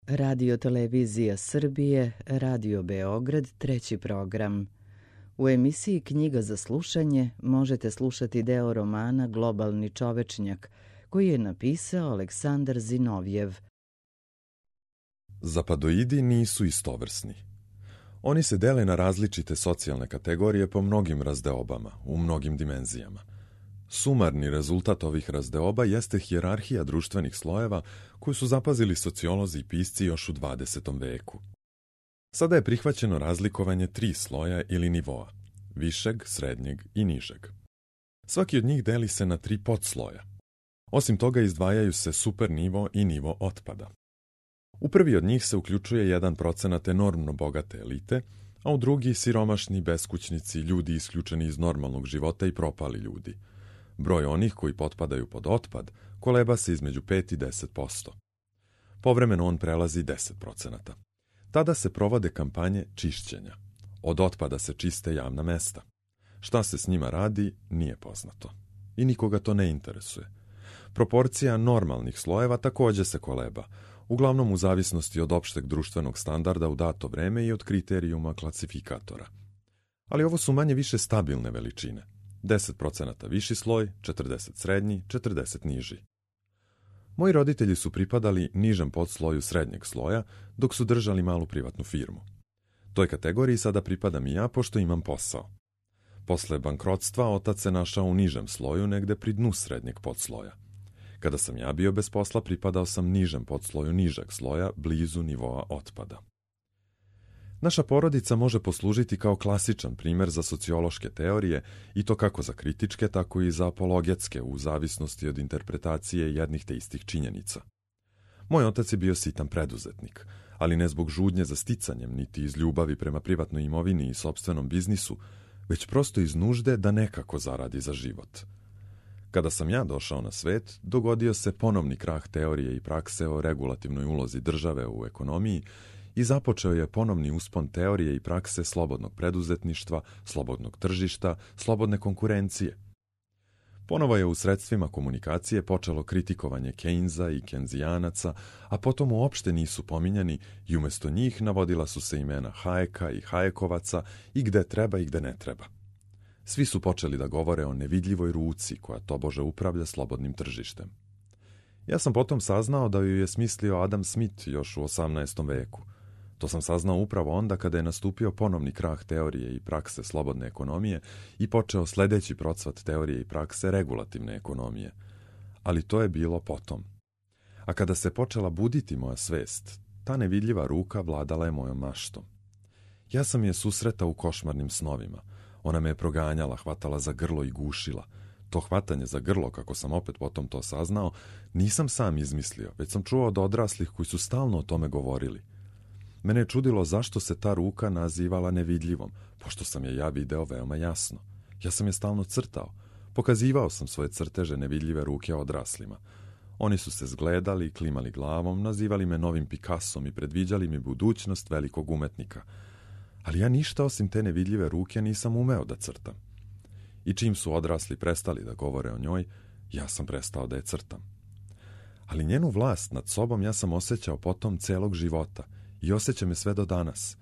Radio Televizija Srbije, Radio Beograd, treći program. U emisiji Knjiga za slušanje možete slušati deo romana Globalni čovečnjak, koji je napisao Aleksandar Zinovjev. Zapadoidi nisu istovrsni. Oni se dele na različite socijalne kategorije po mnogim razdeobama, u mnogim dimenzijama. Sumarni rezultat ovih razdeoba jeste hijerarhija društvenih slojeva koju su zapazili sociolozi i pisci još u 20. veku. Sada je prihvaćeno razlikovanje 3 sloja ili nivoa, višeg, srednjeg i nižeg. Svaki od njih deli se na 3 podsloja. Osim toga izdvajaju se supernivo i nivo otpada. U prvi od njih se uključuje 1% enormno bogate elite, a u drugi siromašni, beskućnici, ljudi isključeni iz normalnog života i propali ljudi. Broj onih koji potpadaju pod otpad koleba se između 5 i 10%. Povremeno on prelazi 10%. Tada se provode kampanje čišćenja. Od otpada se čiste javna mesta. Šta se s njima radi, nije poznato. I nikoga to ne interesuje. Proporcija normalnih slojeva također se koleba, uglavnom u zavisnosti od opšteg društvenog standarda u dato vreme i od kriterijuma klasifikatora. Ali ovo su manje više stabilne veličine. 10% viši sloj, 40 srednji, 40 niži. Moji roditelji su pripadali nižem podsloju srednjeg sloja, dok su držali malu privatnu firmu. Toj kategoriji sada pripadam i ja, pošto imam posao. Posle bankrotstva otac se našao u nižem sloju, negde pri dnu srednjeg podsloja. Kada sam ja bio bez posla, pripadao sam nižem podsloju nižeg sloja, blizu nivoa otpada. Naša porodica može poslužiti kao klasičan primer za sociološke teorije, i to kako za kritičke, tako i za apologetske, u zavisnosti od interpretacije jednih te istih činjenica. Moj otac je bio sitan preduzetnik, ali ne zbog žudnje za sticanjem, niti iz ljubavi prema privatnoj imovini i sopstvenom biznisu, već prosto iz nužde da nekako zaradi za život. Kada sam ja došao na svet, dogodio se ponovni krah teorije i prakse o regulativnoj ulozi države u ekonomiji i započeo je ponovni uspon teorije i prakse slobodnog preduzetništva, slobodnog tržišta, slobodne konkurencije. Ponovo je u sredstvima komunikacije počelo kritikovanje Keynesa i Kenzijanaca, a potom uopšte nisu pominjani i umjesto njih navodila su se imena Hayeka i Hayekovaca i gde treba i gde ne treba. Svi su počeli da govore o nevidljivoj ruci koja tobože upravlja slobodnim tržištem. Ja sam potom saznao da ju je smislio Adam Smith još u 18. veku. To sam saznao upravo onda kada je nastupio ponovni krah teorije i prakse slobodne ekonomije i počeo sledeći procvat teorije i prakse regulativne ekonomije. Ali to je bilo potom. A kada se počela buditi moja svest, ta nevidljiva ruka vladala je mojom maštom. Ja sam je susretao u košmarnim snovima. Ona me je proganjala, hvatala za grlo i gušila. To hvatanje za grlo, kako sam opet potom to saznao, nisam sam izmislio, već sam čuo od odraslih koji su stalno o tome govorili. Mene je čudilo zašto se ta ruka nazivala nevidljivom, pošto sam je ja video veoma jasno. Ja sam je stalno crtao. Pokazivao sam svoje crteže nevidljive ruke odraslima. Oni su se zgledali, klimali glavom, nazivali me novim Picassom i predviđali mi budućnost velikog umetnika. Ali ja ništa osim te nevidljive ruke nisam umeo da crtam. I čim su odrasli prestali da govore o njoj, ja sam prestao da je crtam. Ali njenu vlast nad sobom ja sam osjećao potom celog života i osjećam je sve do danas.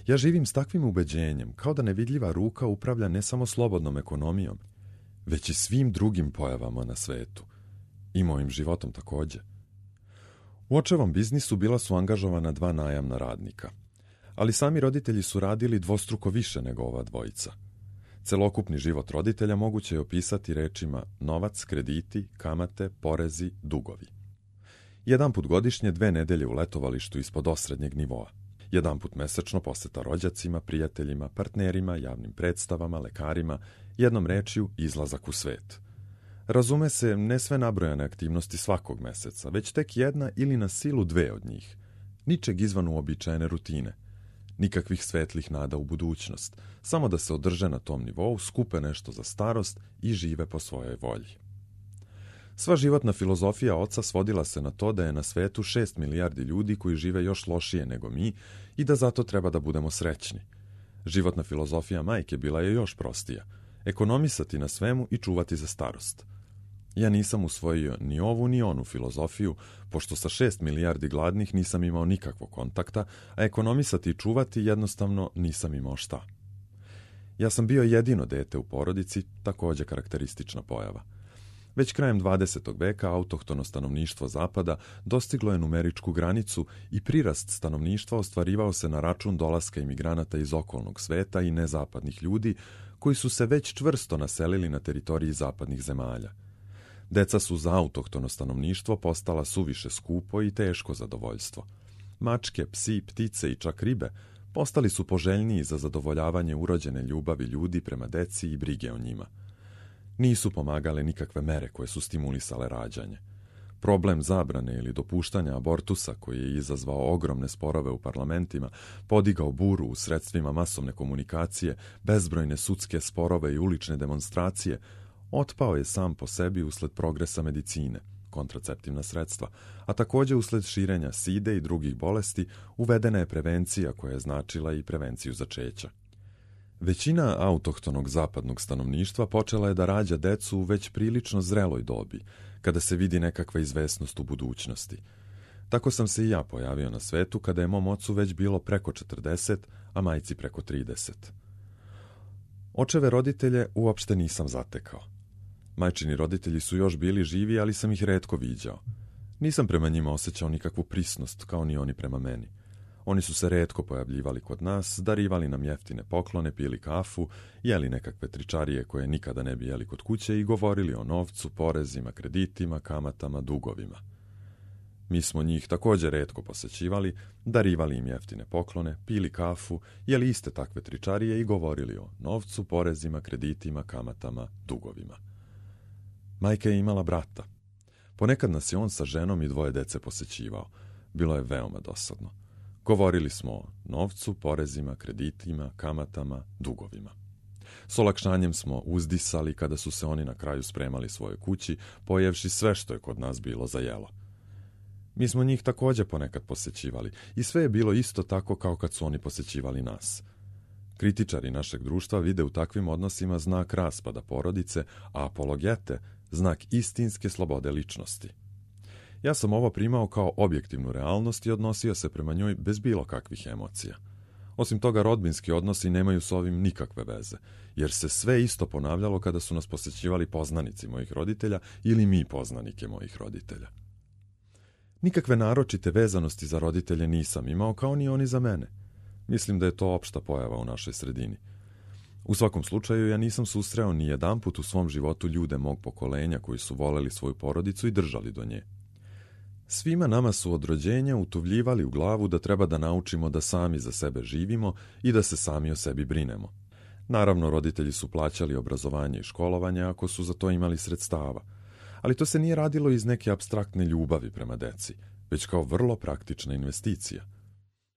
Ja živim s takvim ubeđenjem, kao da nevidljiva ruka upravlja ne samo slobodnom ekonomijom, već i svim drugim pojavama na svetu. I mojim životom također. U očevom biznisu bila su angažovana 2 najamna radnika. Ali sami roditelji su radili dvostruko više nego ova dvojica. Celokupni život roditelja moguće je opisati rečima novac, krediti, kamate, porezi, dugovi. Jedanput godišnje 2 nedelje u letovalištu ispod osrednjeg nivoa. Jedanput mesečno poseta rođacima, prijateljima, partnerima, javnim predstavama, lekarima, jednom rečju izlazak u svet. Razume se, ne sve nabrojane aktivnosti svakog meseca, već tek 1 ili na silu 2 od njih. Ničeg izvan uobičajene rutine. Nikakvih svetlih nada u budućnost, samo da se održe na tom nivou, skupe nešto za starost i žive po svojoj volji. Sva životna filozofija oca svodila se na to da je na svetu 6 milijardi ljudi koji žive još lošije nego mi i da zato treba da budemo srećni. Životna filozofija majke bila je još prostija. Ekonomisati na svemu i čuvati za starost. Ja nisam usvojio ni ovu ni onu filozofiju, pošto sa 6 milijardi gladnih nisam imao nikakvog kontakta, a ekonomisati i čuvati jednostavno nisam imao šta. Ja sam bio jedino dete u porodici, također karakteristična pojava. Već krajem 20. veka autohtono stanovništvo Zapada dostiglo je numeričku granicu i prirast stanovništva ostvarivao se na račun dolaska imigranata iz okolnog sveta i nezapadnih ljudi koji su se već čvrsto naselili na teritoriji zapadnih zemalja. Deca su za autohtono stanovništvo postala suviše skupo i teško zadovoljstvo. Mačke, psi, ptice i čak ribe postali su poželjniji za zadovoljavanje urođene ljubavi ljudi prema deci i brige o njima. Nisu pomagale nikakve mere koje su stimulisale rađanje. Problem zabrane ili dopuštanja abortusa, koji je izazvao ogromne sporove u parlamentima, podigao buru u sredstvima masovne komunikacije, bezbrojne sudske sporove i ulične demonstracije, otpao je sam po sebi usled progresa medicine, kontraceptivna sredstva, a također usled širenja side i drugih bolesti uvedena je prevencija koja je značila i prevenciju začeća. Većina autohtonog zapadnog stanovništva počela je da rađa decu u već prilično zreloj dobi, kada se vidi nekakva izvesnost u budućnosti. Tako sam se i ja pojavio na svetu kada je mom ocu već bilo preko 40, a majci preko 30. Očeve roditelje uopšte nisam zatekao. Majčini roditelji su još bili živi, ali sam ih retko viđao. Nisam prema njima osjećao nikakvu prisnost, kao ni oni prema meni. Oni su se retko pojavljivali kod nas, darivali nam jeftine poklone, pili kafu, jeli nekakve tričarije koje nikada ne bi jeli kod kuće i govorili o novcu, porezima, kreditima, kamatama, dugovima. Mi smo njih također retko posećivali, darivali im jeftine poklone, pili kafu, jeli iste takve tričarije i govorili o novcu, porezima, kreditima, kamatama, dugovima. Majka je imala brata. Ponekad nas je on sa ženom i 2 dece posećivao. Bilo je veoma dosadno. Govorili smo o novcu, porezima, kreditima, kamatama, dugovima. S olakšanjem smo uzdisali kada su se oni na kraju spremali svojoj kući, pojevši sve što je kod nas bilo za jelo. Mi smo njih također ponekad posećivali i sve je bilo isto tako kao kad su oni posećivali nas. Kritičari našeg društva vide u takvim odnosima znak raspada porodice, a apologete znak istinske slobode ličnosti. Ja sam ovo primao kao objektivnu realnost i odnosio se prema njoj bez bilo kakvih emocija. Osim toga, rodbinski odnosi nemaju s ovim nikakve veze, jer se sve isto ponavljalo kada su nas posećivali poznanici mojih roditelja ili mi poznanike mojih roditelja. Nikakve naročite vezanosti za roditelje nisam imao, kao ni oni za mene. Mislim da je to opšta pojava u našoj sredini. U svakom slučaju, ja nisam susreo ni jedanput u svom životu ljude mog pokolenja koji su voleli svoju porodicu i držali do nje. Svima nama su od rođenja utuvljivali u glavu da treba da naučimo da sami za sebe živimo i da se sami o sebi brinemo. Naravno, roditelji su plaćali obrazovanje i školovanje ako su za to imali sredstava, ali to se nije radilo iz neke apstraktne ljubavi prema deci, već kao vrlo praktična investicija.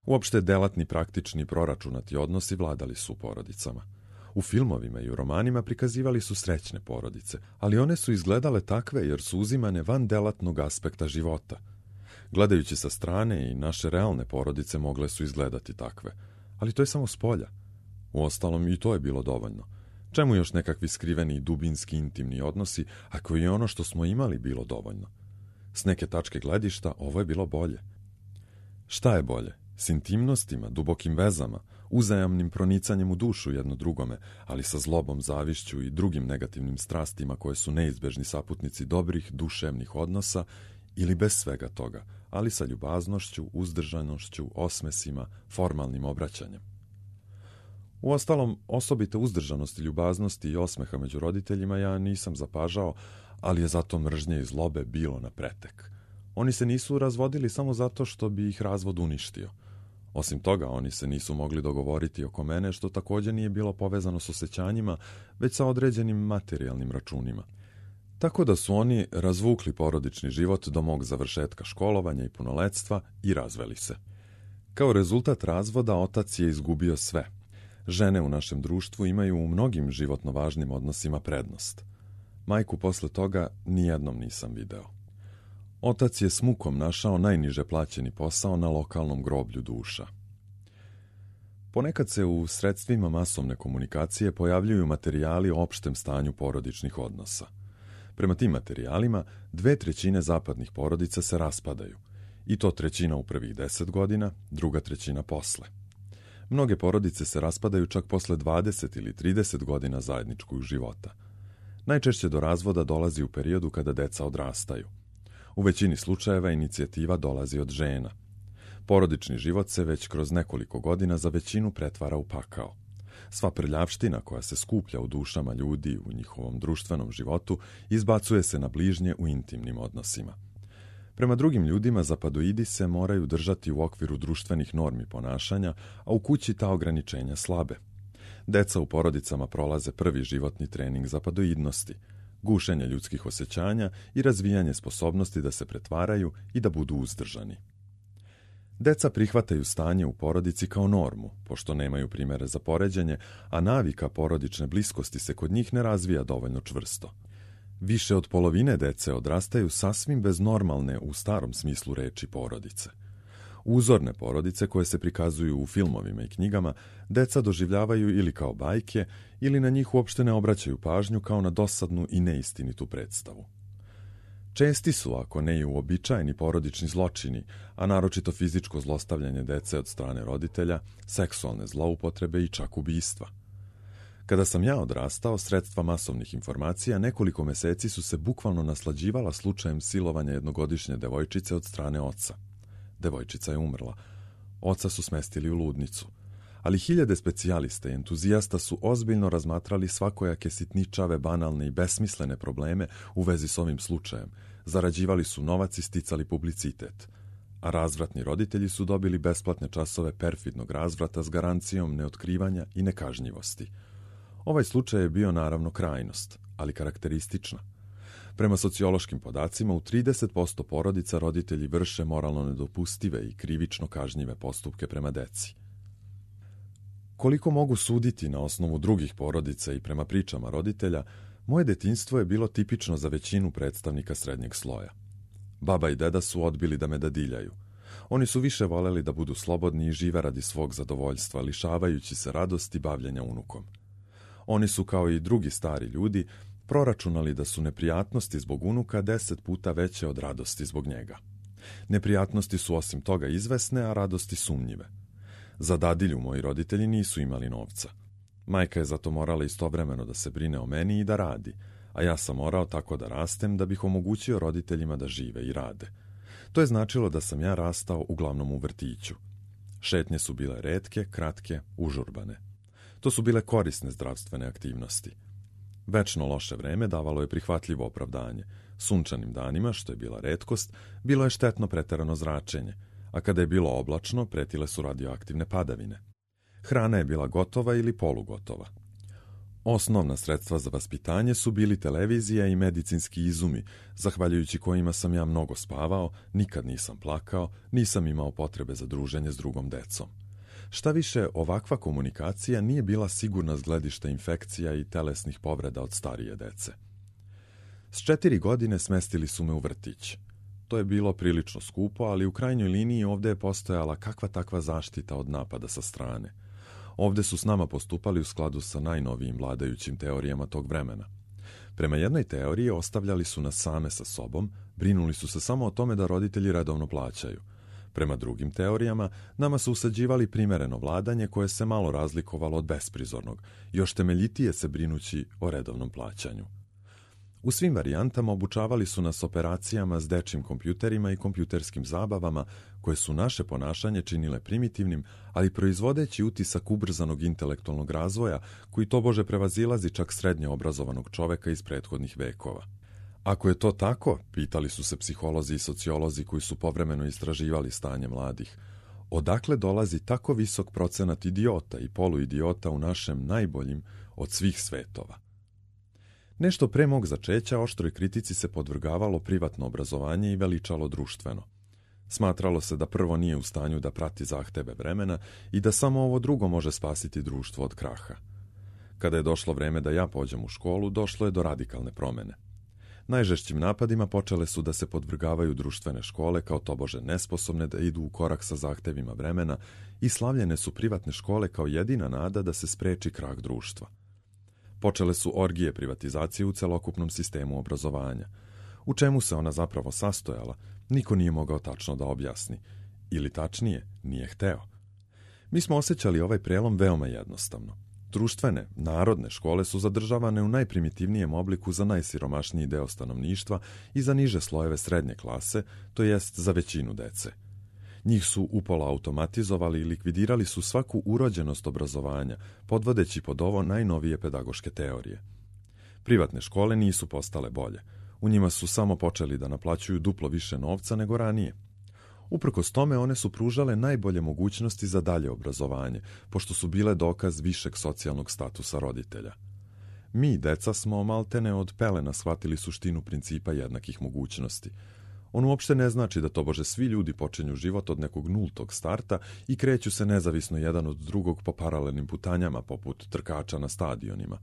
Uopšte delatni, praktični, proračunati odnosi vladali su u porodicama. U filmovima i u romanima prikazivali su srećne porodice, ali one su izgledale takve jer su uzimane van delatnog aspekta života. Gledajući sa strane, i naše realne porodice mogle su izgledati takve, ali to je samo spolja. Uostalom, i to je bilo dovoljno. Čemu još nekakvi skriveni i dubinski intimni odnosi, ako je ono što smo imali bilo dovoljno? S neke tačke gledišta ovo je bilo bolje. Šta je bolje? S intimnostima, dubokim vezama, uzajamnim pronicanjem u dušu jedno drugome, ali sa zlobom, zavišću i drugim negativnim strastima koje su neizbežni saputnici dobrih duševnih odnosa, ili bez svega toga, ali sa ljubaznošću, uzdržanošću, osmesima, formalnim obraćanjem. Uostalom, osobite uzdržanosti, ljubaznosti i osmeha među roditeljima ja nisam zapažao, ali je zato mržnje i zlobe bilo na pretek. Oni se nisu razvodili samo zato što bi ih razvod uništio. Osim toga, oni se nisu mogli dogovoriti oko mene, što također nije bilo povezano s osjećanjima, već sa određenim materijalnim računima. Tako da su oni razvukli porodični život do mog završetka školovanja i punoletstva i razveli se. Kao rezultat razvoda, otac je izgubio sve. Žene u našem društvu imaju u mnogim životno važnim odnosima prednost. Majku posle toga nijednom nisam video. Otac je s mukom našao najniže plaćeni posao na lokalnom groblju duša. Ponekad se u sredstvima masovne komunikacije pojavljuju materijali o opštem stanju porodičnih odnosa. Prema tim materijalima, 2/3 zapadnih porodica se raspadaju. I to 1/3 u prvih 10 godina, 2/3 posle. Mnoge porodice se raspadaju čak posle 20 ili 30 godina zajedničkog života. Najčešće do razvoda dolazi u periodu kada deca odrastaju. U većini slučajeva inicijativa dolazi od žena. Porodični život se već kroz nekoliko godina za većinu pretvara u pakao. Sva prljavština koja se skuplja u dušama ljudi u njihovom društvenom životu izbacuje se na bližnje u intimnim odnosima. Prema drugim ljudima zapadoidi se moraju držati u okviru društvenih normi ponašanja, a u kući ta ograničenja slabe. Deca u porodicama prolaze prvi životni trening zapadoidnosti, gušenje ljudskih osjećanja i razvijanje sposobnosti da se pretvaraju i da budu uzdržani. Deca prihvataju stanje u porodici kao normu, pošto nemaju primere za poređenje, a navika porodične bliskosti se kod njih ne razvija dovoljno čvrsto. Više od polovine dece odrastaju sasvim bez normalne, u starom smislu reči, porodice. Uzorne porodice koje se prikazuju u filmovima i knjigama, deca doživljavaju ili kao bajke, ili na njih uopšte ne obraćaju pažnju kao na dosadnu i neistinitu predstavu. Česti su, ako ne i uobičajeni porodični zločini, a naročito fizičko zlostavljanje dece od strane roditelja, seksualne zloupotrebe i čak ubistva. Kada sam ja odrastao, sredstva masovnih informacija nekoliko meseci su se bukvalno naslađivala slučajem silovanja jednogodišnje devojčice od strane oca. Devojčica je umrla. Oca su smestili u ludnicu. Ali hiljade specijalista i entuzijasta su ozbiljno razmatrali svakojake sitničave, banalne i besmislene probleme u vezi s ovim slučajem. Zarađivali su novac i sticali publicitet. A razvratni roditelji su dobili besplatne časove perfidnog razvrata s garancijom neotkrivanja i nekažnjivosti. Ovaj slučaj je bio naravno krajnost, ali karakteristična. Prema sociološkim podacima, u 30% porodica roditelji vrše moralno nedopustive i krivično kažnjive postupke prema deci. Koliko mogu suditi na osnovu drugih porodica i prema pričama roditelja, moje detinjstvo je bilo tipično za većinu predstavnika srednjeg sloja. Baba i deda su odbili da me dadiljaju. Oni su više voleli da budu slobodni i žive radi svog zadovoljstva, lišavajući se radosti bavljenja unukom. Oni su, kao i drugi stari ljudi, proračunali da su neprijatnosti zbog unuka 10 puta veće od radosti zbog njega. Neprijatnosti su osim toga izvesne, a radosti sumnjive. Za dadilju moji roditelji nisu imali novca. Majka je zato morala istovremeno da se brine o meni i da radi, a ja sam morao tako da rastem da bih omogućio roditeljima da žive i rade. To je značilo da sam ja rastao uglavnom u vrtiću. Šetnje su bile retke, kratke, užurbane. To su bile korisne zdravstvene aktivnosti. Večno loše vreme davalo je prihvatljivo opravdanje. Sunčanim danima, što je bila retkost, bilo je štetno preterano zračenje, a kada je bilo oblačno, pretile su radioaktivne padavine. Hrana je bila gotova ili polugotova. Osnovna sredstva za vaspitanje su bili televizija i medicinski izumi, zahvaljujući kojima sam ja mnogo spavao, nikad nisam plakao, nisam imao potrebe za druženje s drugom decom. Šta više, ovakva komunikacija nije bila sigurna s gledišta infekcija i telesnih povreda od starije dece. S 4 godine smestili su me u vrtić. To je bilo prilično skupo, ali u krajnjoj liniji ovde je postojala kakva takva zaštita od napada sa strane. Ovde su s nama postupali u skladu sa najnovijim vladajućim teorijama tog vremena. Prema jednoj teoriji ostavljali su nas same sa sobom, brinuli su se samo o tome da roditelji redovno plaćaju. Prema drugim teorijama, nama su usađivali primereno vladanje koje se malo razlikovalo od besprizornog, još temeljitije se brinući o redovnom plaćanju. U svim varijantama obučavali su nas operacijama s dečjim kompjuterima i kompjuterskim zabavama koje su naše ponašanje činile primitivnim, ali proizvodeći utisak ubrzanog intelektualnog razvoja koji tobože prevazilazi čak srednje obrazovanog čoveka iz prethodnih vekova. Ako je to tako, pitali su se psiholozi i sociolozi koji su povremeno istraživali stanje mladih, odakle dolazi tako visok procenat idiota i poluidiota u našem najboljim od svih svetova? Nešto pre mog začeća oštroj kritici se podvrgavalo privatno obrazovanje i veličalo društveno. Smatralo se da prvo nije u stanju da prati zahteve vremena i da samo ovo drugo može spasiti društvo od kraha. Kada je došlo vreme da ja pođem u školu, došlo je do radikalne promene. Najžešćim napadima počele su da se podvrgavaju društvene škole kao tobože nesposobne da idu u korak sa zahtevima vremena i slavljene su privatne škole kao jedina nada da se spreči krah društva. Počele su orgije privatizacije u celokupnom sistemu obrazovanja. U čemu se ona zapravo sastojala, niko nije mogao tačno da objasni. Ili tačnije, nije hteo. Mi smo osjećali ovaj prelom veoma jednostavno. Društvene, narodne škole su zadržavane u najprimitivnijem obliku za najsiromašniji deo stanovništva i za niže slojeve srednje klase, to jest za većinu dece. Njih su upola automatizovali i likvidirali su svaku urođenost obrazovanja, podvodeći pod ovo najnovije pedagoške teorije. Privatne škole nisu postale bolje. U njima su samo počeli da naplaćuju duplo više novca nego ranije. Uprkos tome, one su pružale najbolje mogućnosti za dalje obrazovanje, pošto su bile dokaz višeg socijalnog statusa roditelja. Mi, deca, smo maltene od pelena shvatili suštinu principa jednakih mogućnosti. On uopšte ne znači da tobože svi ljudi počinju život od nekog nultog starta i kreću se nezavisno jedan od drugog po paralelnim putanjama poput trkača na stadionima.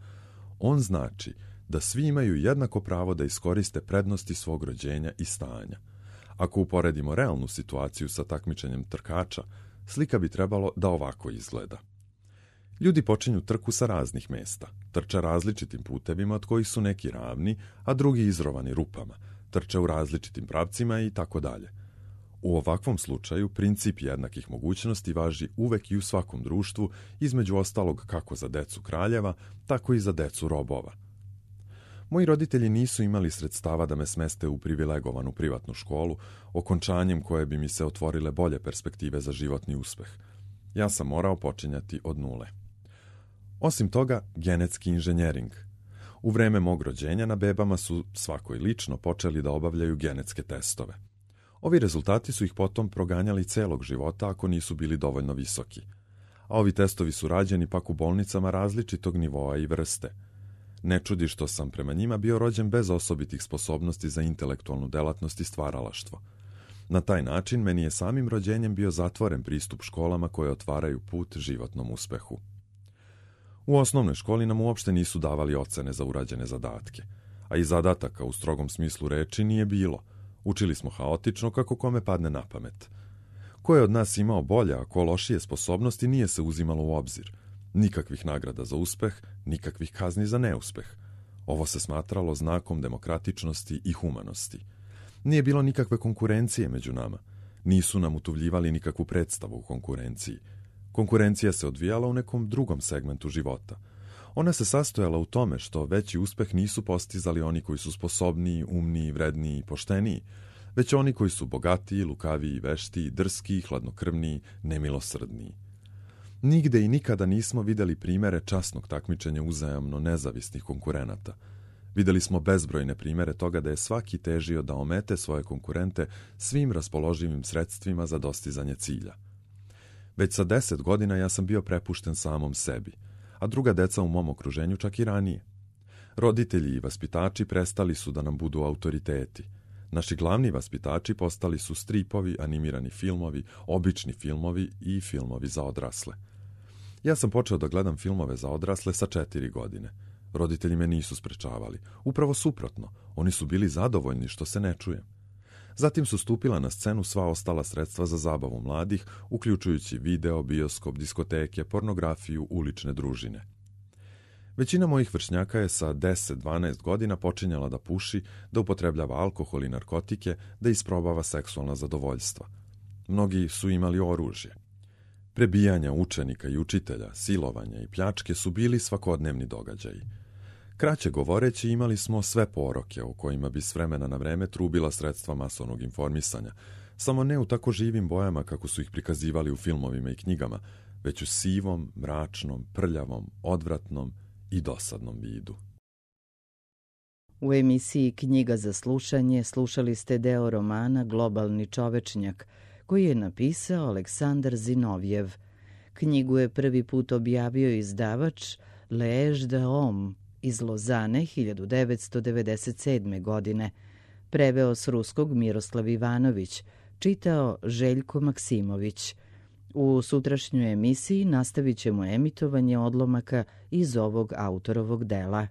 On znači da svi imaju jednako pravo da iskoriste prednosti svog rođenja i stanja. Ako uporedimo realnu situaciju sa takmičenjem trkača, slika bi trebalo da ovako izgleda. Ljudi počinju trku sa raznih mesta, trče različitim putevima od kojih su neki ravni, a drugi izrovani rupama, trče u različitim pravcima i tako dalje. U ovakvom slučaju princip jednakih mogućnosti važi uvek i u svakom društvu, između ostalog kako za decu kraljeva, tako i za decu robova. Moji roditelji nisu imali sredstava da me smeste u privilegovanu privatnu školu, okončanjem koje bi mi se otvorile bolje perspektive za životni uspeh. Ja sam morao počinjati od nule. Osim toga, genetski inženjering. U vreme mog rođenja na bebama su svako i lično počeli da obavljaju genetske testove. Ovi rezultati su ih potom proganjali celog života ako nisu bili dovoljno visoki. A ovi testovi su rađeni pak u bolnicama različitog nivoa i vrste. Ne čudi što sam prema njima bio rođen bez osobitih sposobnosti za intelektualnu delatnost i stvaralaštvo. Na taj način meni je samim rođenjem bio zatvoren pristup školama koje otvaraju put životnom uspehu. U osnovnoj školi nam uopšte nisu davali ocene za urađene zadatke, a i zadataka u strogom smislu reči nije bilo. Učili smo haotično kako kome padne na pamet. Ko je od nas imao bolje, a ko lošije sposobnosti nije se uzimalo u obzir. Nikakvih nagrada za uspeh, nikakvih kazni za neuspeh. Ovo se smatralo znakom demokratičnosti i humanosti. Nije bilo nikakve konkurencije među nama. Nisu nam utuvljivali nikakvu predstavu u konkurenciji. Konkurencija se odvijala u nekom drugom segmentu života. Ona se sastojala u tome što veći uspeh nisu postizali oni koji su sposobniji, umniji, vredniji i pošteniji, već oni koji su bogatiji, lukaviji, veštiji, drskiji, hladnokrvniji, nemilosrdniji. Nigde i nikada nismo videli primere časnog takmičenja uzajamno nezavisnih konkurenata. Videli smo bezbrojne primere toga da je svaki težio da omete svoje konkurente svim raspoloživim sredstvima za dostizanje cilja. Već sa 10 godina ja sam bio prepušten samom sebi, a druga deca u mom okruženju čak i ranije. Roditelji i vaspitači prestali su da nam budu autoriteti. Naši glavni vaspitači postali su stripovi, animirani filmovi, obični filmovi i filmovi za odrasle. Ja sam počeo da gledam filmove za odrasle sa 4 godine. Roditelji me nisu sprečavali. Upravo suprotno, oni su bili zadovoljni što se ne čujem. Zatim su stupila na scenu sva ostala sredstva za zabavu mladih, uključujući video, bioskop, diskoteke, pornografiju, ulične družine. Većina mojih vršnjaka je sa 10-12 godina počinjala da puši, da upotrebljava alkohol i narkotike, da isprobava seksualna zadovoljstva. Mnogi su imali oružje. Prebijanja učenika i učitelja, silovanja i pljačke su bili svakodnevni događaji. Kraće govoreći, imali smo sve poroke o kojima bi s vremena na vreme trubila sredstva masovnog informisanja, samo ne u tako živim bojama kako su ih prikazivali u filmovima i knjigama, već u sivom, mračnom, prljavom, odvratnom i dosadnom vidu. U emisiji Knjiga za slušanje slušali ste deo romana Globalni čovečnjak, koji je napisao Aleksandar Zinovjev. Knjigu je prvi put objavio izdavač L'Age de Homme iz Lozane 1997. godine. Preveo s ruskog Miroslav Ivanović, čitao Željko Maksimović. U sutrašnjoj emisiji nastavit ćemo emitovanje odlomaka iz ovog autorovog dela.